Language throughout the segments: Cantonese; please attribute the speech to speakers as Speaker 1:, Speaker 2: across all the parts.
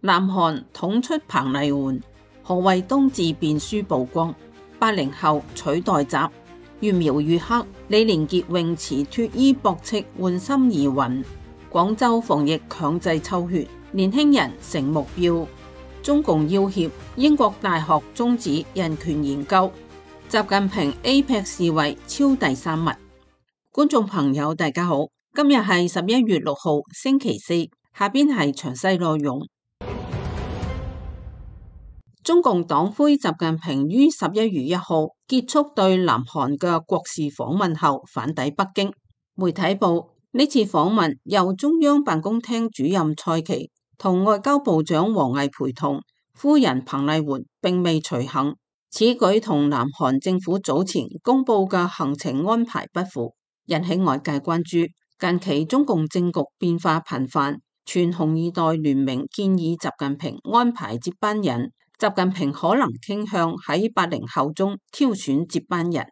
Speaker 1: 南韓統出彭麗媛，何衛東自辯書曝光，80後取代習，越描越黑。李連杰泳池脫衣駁斥換心疑雲，廣州防疫強制抽血，年輕人成目標。中共要挾英國大學終止人權研究，習近平 APEC 視為超第三物。觀眾朋友大家好，今日係11月6號星期四，下邊係詳細內容。中共黨魁習近平於11月1號結束對南韓嘅國事訪問後返抵北京。媒體報呢次訪問由中央辦公廳主任蔡奇同外交部長王毅陪同，夫人彭麗媛並未隨行。此舉同南韓政府早前公布嘅行程安排不符，引起外界關注。近期中共政局變化頻繁，全紅二代聯名建議習近平安排接班人。習近平可能傾向喺80後中挑選接班人。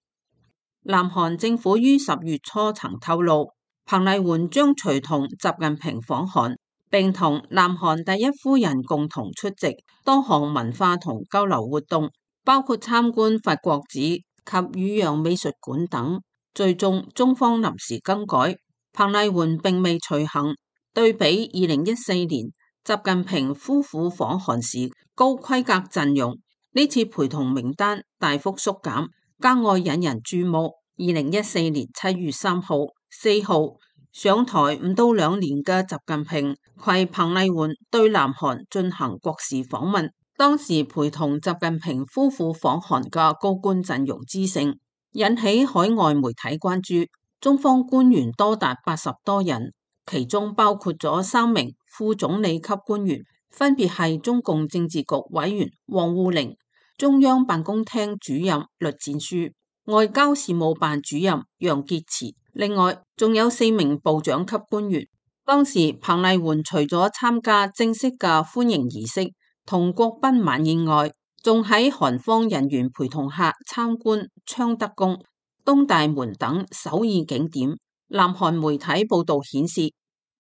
Speaker 1: 南韓政府於10月初曾透露，彭麗媛將隨同習近平訪韓，並同南韓第一夫人共同出席多項文化同交流活動，包括參觀法國寺及汝陽美術館等。最終中方臨時更改，彭麗媛並未隨行。對比2014年習近平夫婦訪韓時高規格陣容，呢次陪同名單大幅縮減，格外引人注目。2014年7月3號、4號上台唔到2年嘅習近平携彭麗媛對南韓進行國事訪問，當時陪同習近平夫婦訪韓嘅高官陣容之盛，引起海外媒體關注。中方官員多達80多人，其中包括咗3名副總理級官員，分別係中共政治局委員王滬寧、中央辦公廳主任栗戰書、外交事務辦主任楊潔篪，另外仲有4名部長級官員。當時彭麗媛除咗參加正式嘅歡迎儀式同國賓晚宴外，仲喺韓方人員陪同下參觀昌德宮、東大門等首爾景點。南韓媒體報道顯示，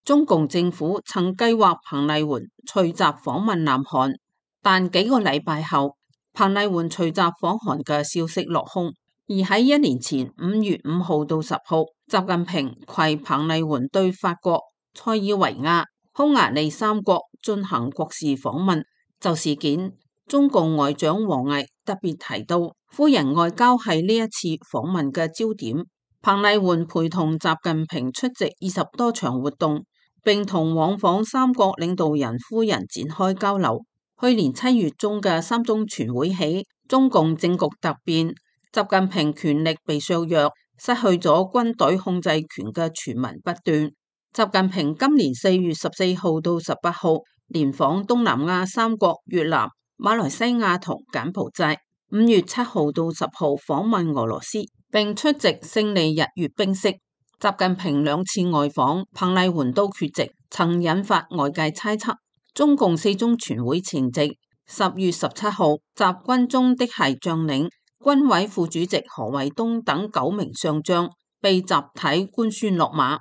Speaker 1: 中共政府曾計劃彭麗媛隨習訪問南韓，但幾個禮拜後，彭麗媛隨習訪韓嘅消息落空。而喺1年前5月5號到10號，習近平携彭麗媛對法國、塞爾維亞、匈牙利3國進行國事訪問。就事件，中共外長王毅特別提到，夫人外交係呢一次訪問嘅焦點。彭麗媛陪同習近平出席20多場活動，並同往訪3國領導人夫人展開交流。去年7月中嘅3中全會起，中共政局突變，習近平權力被削弱，失去咗軍隊控制權嘅傳聞不斷。習近平今年4月14號到18號連訪東南亞3國越南、馬來西亞同柬埔寨，5月7號到10號訪問俄羅斯，並出席勝利日閱兵式。習近平2次外訪，彭麗媛都缺席，曾引發外界猜測。中共4中全會前夕10月17號，習軍中的係將領、軍委副主席何衛東等9名上將被集體官宣落馬。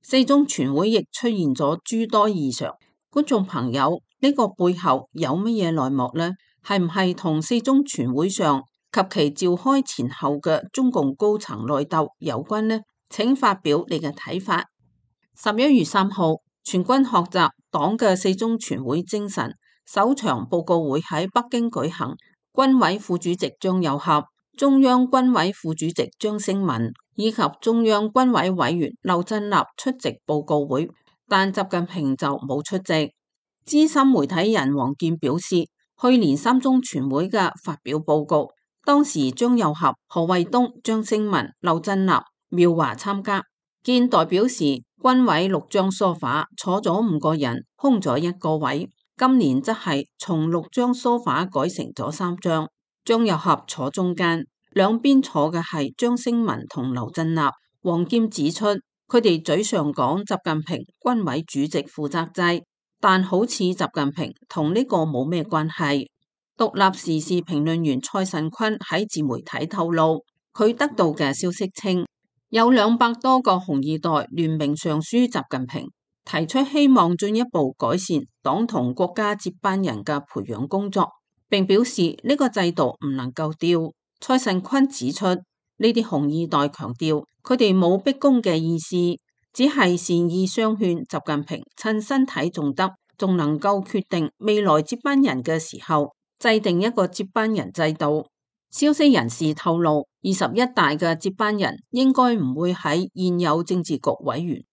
Speaker 1: 4中全會亦出現咗諸多異常。觀眾朋友，呢個背後有乜嘢內幕呢？係唔係同4中全會上及其召開前後嘅中共高層內鬥有關呢？請發表你嘅睇法。11月3號，全軍學習黨嘅4中全會精神首場報告會喺北京舉行，軍委副主席張又俠、中央軍委副主席張升民以及中央軍委委員劉振立出席報告會，但習近平就冇出席。資深媒體人王健表示，去年3中全會嘅發表報告，當時張又俠、何衛東、張升民、劉振立、苗華參加。見代表時，軍委6張梳化坐咗5個人，空咗1個位。今年則係從6張梳化改成咗3張，張又俠坐中間，兩邊坐嘅係張升民同劉振立。王健指出，佢哋嘴上講習近平軍委主席負責制，但好似習近平同呢個冇咩關係。獨立時事評論員蔡慎坤喺自媒體透露，佢得到嘅消息稱，有200多個紅二代聯名上書習近平，提出希望進一步改善黨同國家接班人嘅培養工作，並表示呢個制度唔能夠掉。蔡慎坤指出，呢啲紅二代強調佢哋冇逼宮嘅意思，只係善意相勸習近平趁身體仲得，仲能夠決定未來接班人嘅時候，制定一個接班人制度。消息人士透露，21大嘅接班人應該唔會喺現有政治局委員、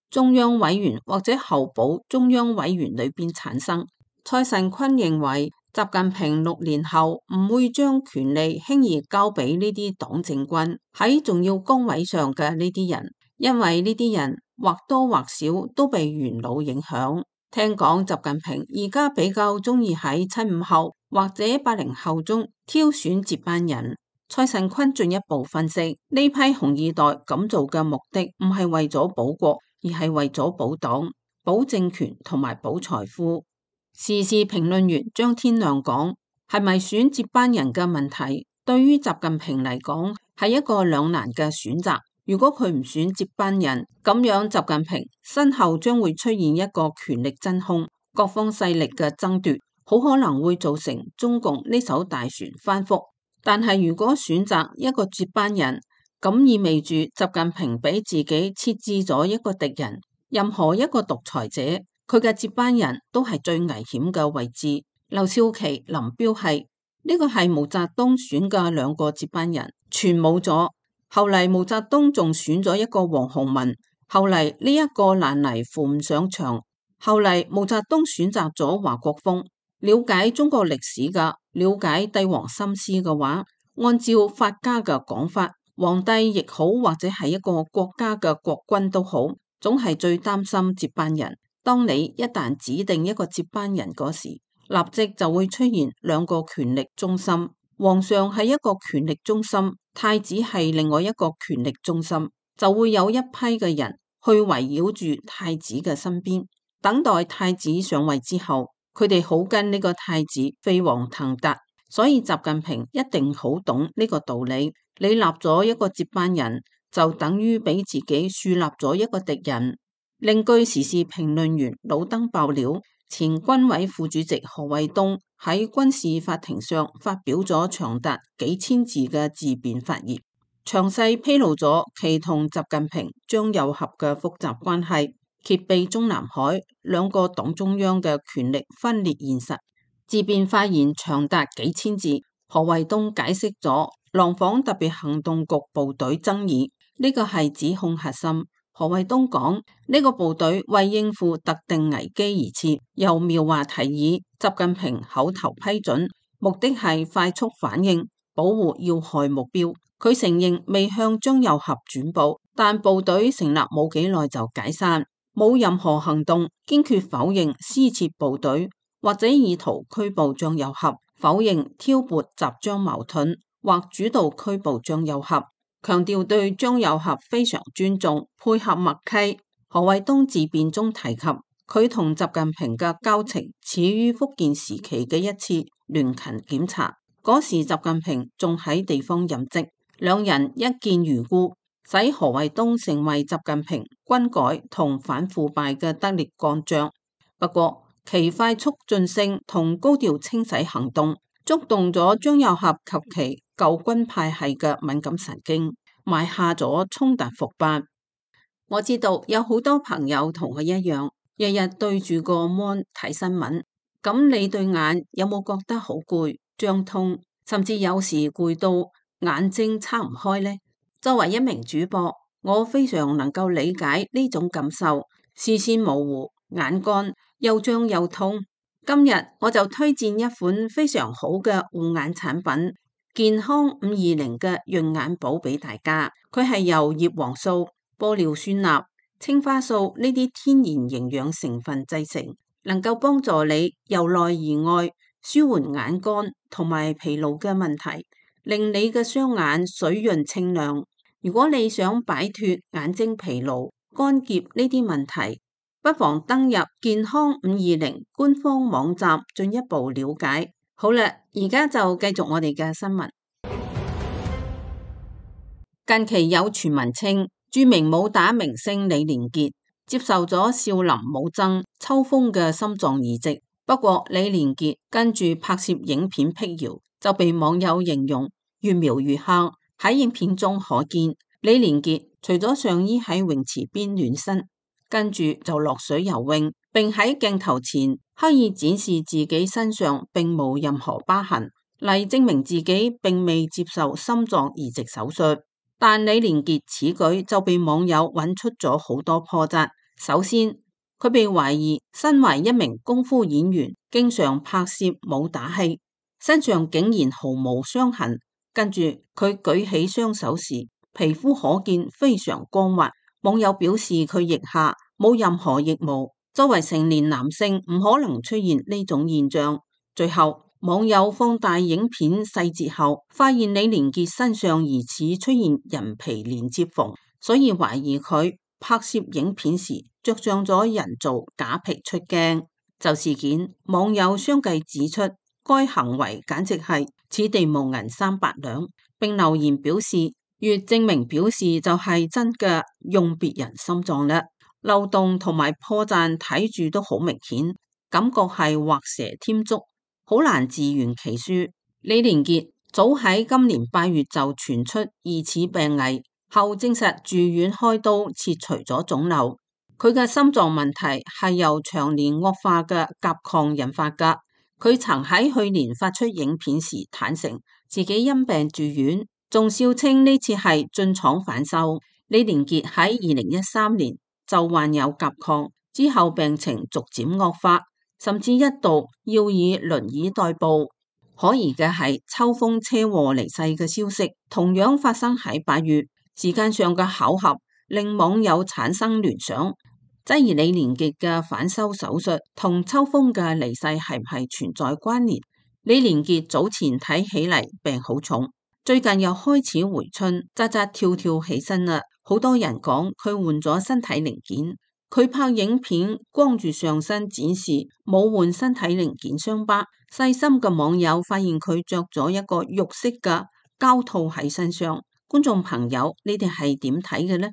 Speaker 1: 中央委員或者候補中央委員裏邊產生。蔡慎坤認為，習近平6年後唔會將權力輕易交俾呢啲黨政軍喺重要崗位上嘅呢啲人，因為呢啲人或多或少都被元老影響。聽講習近平而家比較中意喺75後或者80後中挑選接班人。蔡慎坤進一步分析，呢批紅二代咁做嘅目的唔係為咗保國，而係為咗保黨、保政權同埋保財富。時事評論員張天亮講，係咪選接班人嘅問題，對於習近平嚟講係一個兩難嘅選擇。如果佢唔選接班人，咁樣習近平身後將會出現一個權力真空，各方勢力嘅爭奪，好可能會造成中共呢艘大船翻覆。但係如果選擇一個接班人，咁意味住習近平俾自己設置咗一個敵人。任何一個獨裁者，佢嘅接班人都係最危險嘅位置。劉少奇、林彪係呢個係毛澤東選嘅2個接班人，全冇咗。後嚟毛澤東仲選咗一個王洪文，後嚟呢一個爛泥扶唔上牆。後嚟毛澤東選擇咗華國鋒。了解中國歷史嘅，了解帝王心思嘅話，按照法家嘅講法，皇帝亦好，或者係一個國家嘅國君都好，總係最擔心接班人。當你一旦指定一個接班人嗰時，立即就會出現2個權力中心，皇上係一個權力中心，太子係另外一個權力中心，就會有一批嘅人去圍繞住太子嘅身邊，等待太子上位之後，佢哋好跟呢個太子飛黃騰達。所以習近平一定好懂呢個道理，你立咗一個接班人，就等於俾自己樹立咗一個敵人。另據時事評論員老登爆料，前軍委副主席何衛東喺軍事法庭上發表咗長達幾千字嘅自辯發言，詳細披露咗其同習近平、張又俠嘅複雜關係，揭秘中南海2個黨中央嘅權力分裂現實。自辯發言長達幾千字，何衛東解釋咗廊坊特別行動局部隊爭議，呢個係指控核心。何衛東講，呢個部隊為應付特定危機而設，由苗華提議，習近平口頭批准，目的係快速反應，保護要害目標。佢承認未向張又俠轉報，但部隊成立冇幾耐就解散，冇任何行動，堅決否認私設部隊或者意圖拘捕張又俠，否認挑撥集贓矛盾或主導拘捕張又俠，強調對張又俠非常尊重，配合默契。何衛東自辯中提及，佢同習近平嘅交情始於福建時期嘅一次聯勤檢查，嗰時習近平仲喺地方任職，兩人一見如故，使何衛東成為習近平軍改同反腐敗嘅得力幹將。不過其快速晉升同高調清洗行動觸動咗張又俠及其舊軍派系嘅敏感神經，埋下咗衝突伏筆。我知道有好多朋友同我一樣，日日對住個 mon 睇新聞，咁你對眼有冇覺得好攰、脹痛，甚至有時攰到眼睛撐唔開呢？作為一名主播，我非常能夠理解呢種感受，視線模糊、眼乾、又脹又痛。今日我就推薦一款非常好嘅護眼產品，健康520嘅潤眼寶俾大家。佢係由葉黃素、玻尿酸鈉、青花素呢啲天然營養成分製成，能夠幫助你由內而外舒緩眼乾同埋疲勞嘅問題，令你嘅雙眼水潤清亮。如果你想擺脫眼睛疲勞、乾澀呢啲問題，不妨登入健康520官方網站進一步了解。好啦，而家就繼續我哋嘅新聞。近期有傳聞稱，著名武打明星李連杰接受咗少林武僧秋風嘅心臟移植。不過李連杰跟住拍攝影片闢謠，就被網友形容越描越黑。喺影片中可見李連杰除咗上衣喺泳池邊暖身，跟住就落水游泳，並喺鏡頭前刻意展示自己身上並冇任何疤痕，嚟證明自己並未接受心臟移植手術。但李連杰此舉就被網友揾出咗好多破綻。首先，佢被懷疑身為一名功夫演員，經常拍攝武打戲，身上竟然毫無傷痕。跟住佢舉起雙手時，皮膚可見非常光滑。網友表示佢腋下冇任何腋毛，作為成年男性唔可能出現呢種現象。最後，網友放大影片細節後，發現李連杰身上疑似出現人皮連接縫，所以懷疑佢拍攝影片時着上咗人造假皮出鏡。就事件，網友相繼指出該行為簡直係此地無銀三百兩，並留言表示越證明表示就係真嘅用別人心臟啦。漏洞同埋破綻睇住都好明顯，感覺係畫蛇添足，好難自圓其說。李連杰早喺今年8月就傳出疑似病危，後證實住院開刀切除咗腫瘤。佢嘅心臟問題係由長年惡化嘅甲亢引發㗎。佢曾喺去年發出影片時坦承自己因病住院，仲笑稱呢次係進廠返修。李連杰喺2013年就患有甲亢，之後病情逐漸惡化，甚至一度要以輪椅代步。可疑嘅係秋風車禍離世嘅消息，同樣發生喺8月，時間上嘅巧合令網友產生聯想。質疑李連杰嘅返修手術同秋風嘅離世係唔係存在關聯？李連杰早前睇起嚟病好重，最近又開始回春，扎扎跳跳起身啦。好多人講佢換咗身體零件，佢拍影片光住上身展示，冇換身體零件傷疤。細心嘅網友發現佢着咗一個肉色嘅膠套喺身上。觀眾朋友，你哋係點睇嘅呢？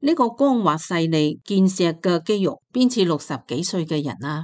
Speaker 1: 呢個光滑細膩健碩嘅肌肉，邊似60幾歲嘅人啊？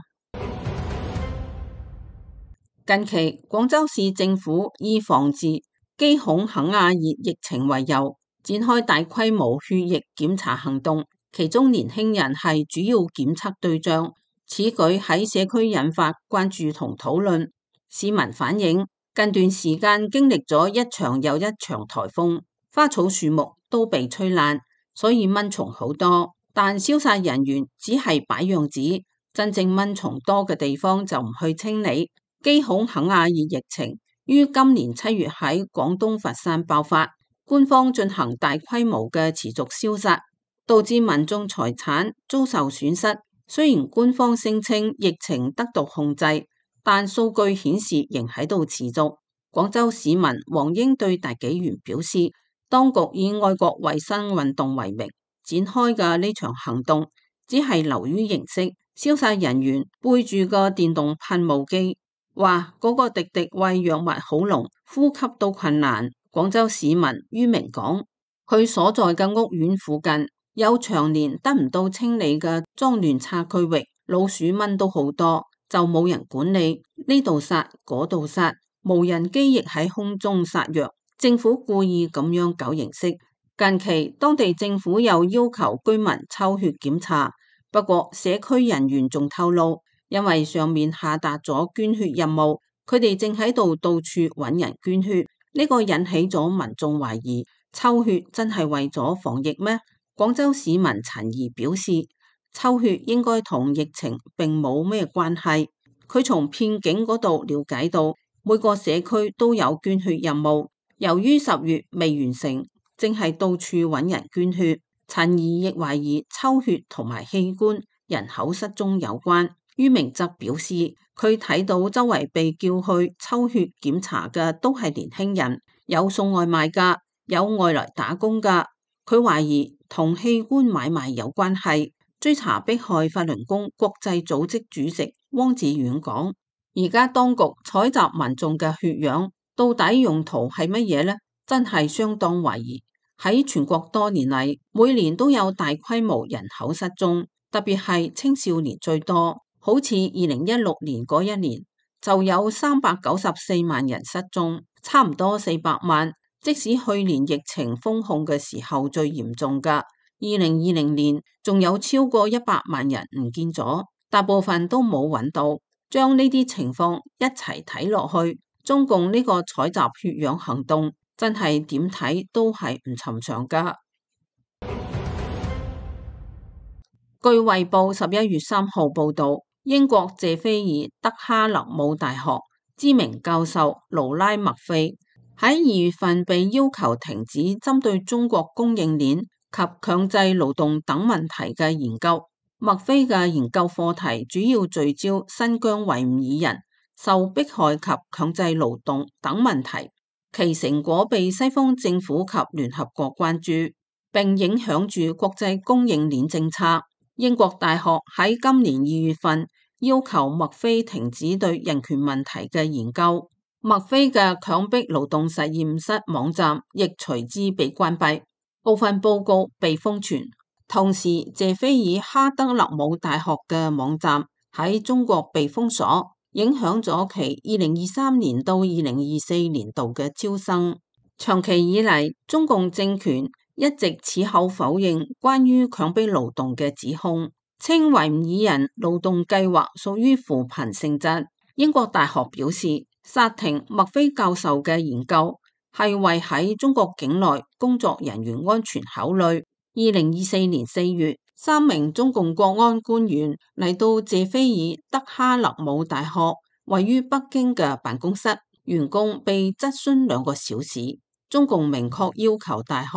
Speaker 1: 近期廣州市政府以防治基孔肯亞熱疫情為由，展開大規模血液檢查行動，其中年輕人係主要檢測對象。此舉喺社區引發關注同討論。市民反映，近段時間經歷咗一場又一場颱風，花草樹木都被吹爛，所以蚊蟲好多，但消殺人員只係擺樣子，真正蚊蟲多嘅地方就唔去清理。基孔肯亞熱疫情於今年7月喺廣東佛山爆發，官方進行大規模嘅持續消殺，導致民眾財產遭受損失。雖然官方聲稱疫情得到控制，但數據顯示仍喺度持續。廣州市民黃英對大紀元表示，當局以愛國衛生運動為名展開嘅呢場行動，只係流於形式。消殺人員背住個電動噴霧機，話嗰個滴滴喂藥物好濃，呼吸都困難。廣州市民于明講，佢所在嘅屋苑附近有長年得唔到清理嘅髒亂差區域，老鼠蚊都好多，就冇人管理，呢度殺嗰度殺，無人機亦喺空中殺藥。政府故意咁樣搞形式。近期當地政府又要求居民抽血檢查，不過社區人員仲透露，因為上面下達咗捐血任務，佢哋正喺度到處揾人捐血，呢個引起咗民眾懷疑，抽血真係為咗防疫咩？廣州市民陳怡表示，抽血應該同疫情並冇咩關係。佢從片警嗰度了解到，每個社區都有捐血任務。由於10月未完成，正係到處揾人捐血。陳怡亦懷疑抽血同埋器官人口失蹤有關。于明則表示，佢睇到周圍被叫去抽血檢查嘅都係年輕人，有送外賣㗎，有外來打工㗎。佢懷疑同器官買賣有關係。追查迫害法輪功國際組織主席汪志遠講，而家當局採集民眾嘅血樣，到底用途係乜嘢呢？真係相當懷疑。喺全國多年嚟，每年都有大規模人口失蹤，特別係青少年最多。好似2016年嗰一年就有394萬人失蹤，差唔多400萬。即使去年疫情封控嘅時候最嚴重㗎，2020年仲有超過100萬人唔見咗，大部分都冇揾到。將呢啲情況一齊睇落去，中共呢個採集血樣行動真係點睇都係唔尋常㗎。據《衛報》11月3號報導，英國謝菲爾德哈勒姆大學知名教授勞拉麥菲喺2月份被要求停止針對中國供應鏈及強制勞動等問題嘅研究。麥菲嘅研究課題主要聚焦新疆維吾爾人受迫害及強制勞動等問題，其成果被西方政府及聯合國關注，並影響住國際供應鏈政策。英國大學喺今年2月份要求麥菲停止對人權問題嘅研究，麥菲嘅強迫勞動實驗室網站亦隨之被關閉，部分報告被封存。同時，謝菲爾哈德勒姆大學嘅網站喺中國被封鎖，影響咗其2023年到2024年度嘅招生。長期以嚟，中共政權一直矢口否認關於強迫勞動嘅指控，稱維吾爾人勞動計劃屬於扶貧性質。英國大學表示，剎停麥菲教授嘅研究係為喺中國境內工作人員安全考慮。2024年4月，3名中共國安官員嚟到謝菲爾德哈勒姆大學位於北京嘅辦公室，員工被質詢2個小時。中共明確要求大學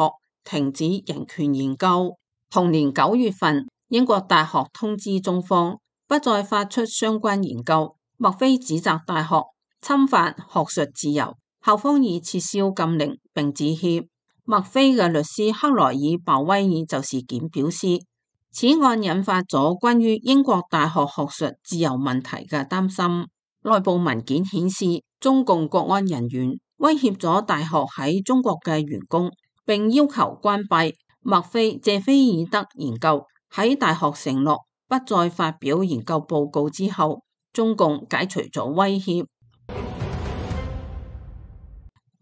Speaker 1: 停止人權研究。同年9月份，英國大學通知中方不再發出相關研究。麥菲指責大學侵犯學術自由，校方已撤銷禁令並致歉。麥菲嘅律師克萊爾鮑威爾就事件表示，此案引發咗關於英國大學學術自由問題嘅擔心。內部文件顯示，中共國安人員威脅咗大學喺中國嘅員工，並要求關閉麥菲謝菲爾德研究。喺大學承諾不再發表研究報告之後，中共解除咗威脅。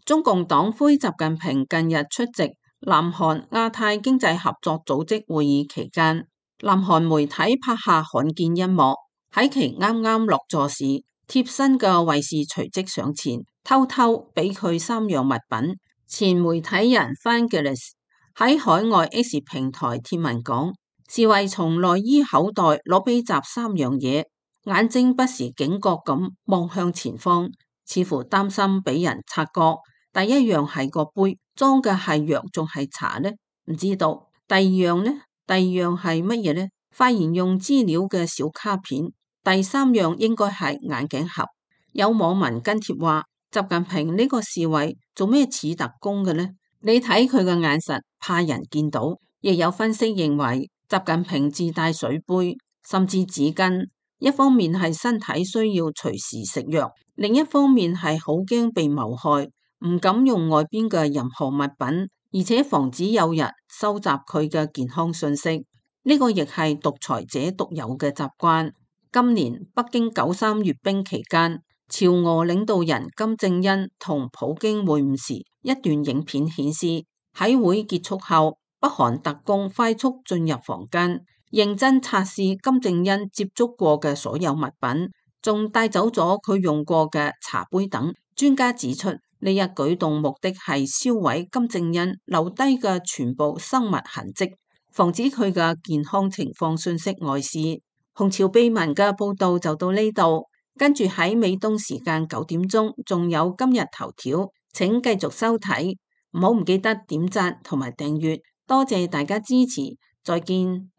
Speaker 1: 中共黨魁習近平近日出席南韓亞太經濟合作組織會議期間，南韓媒體拍下罕見一幕。喺其啱啱落座時，貼身嘅衛士隨即上前，偷偷俾佢3樣物品。前媒體人 Vangelis 喺海外 X 平台貼文講，侍衛從內衣口袋攞俾習3樣嘢，眼睛不時警覺咁望向前方，似乎擔心俾人察覺。第一樣係個杯，裝嘅係藥仲係茶呢？唔知道。第二樣呢？第二樣係乜嘢呢？發言用資料嘅小卡片。第3樣應該係眼鏡盒。有網民跟帖話，習近平呢個侍衛做咩似特工嘅呢？你睇佢嘅眼神，怕人見到。亦有分析認為，習近平自帶水杯，甚至紙巾，一方面係身體需要隨時食藥，另一方面係好驚被謀害，唔敢用外邊嘅任何物品，而且防止有人收集佢嘅健康信息。呢個亦係獨裁者獨有嘅習慣。今年北京93閱兵期間，朝俄領導人金正恩同普京會晤時，一段影片顯示，喺會結束後，北韓特工快速進入房間，認真測試金正恩接觸過嘅所有物品，仲帶走咗佢用過嘅茶杯等。專家指出，呢一舉動目的係銷毀金正恩留低嘅全部生物痕跡，防止佢嘅健康情況信息外洩。紅潮秘聞嘅報道就到呢度，跟住喺美東時間9點鐘，仲有今日頭條，請繼續收睇，唔好唔記得點讚同埋訂閱，多謝大家支持，再見。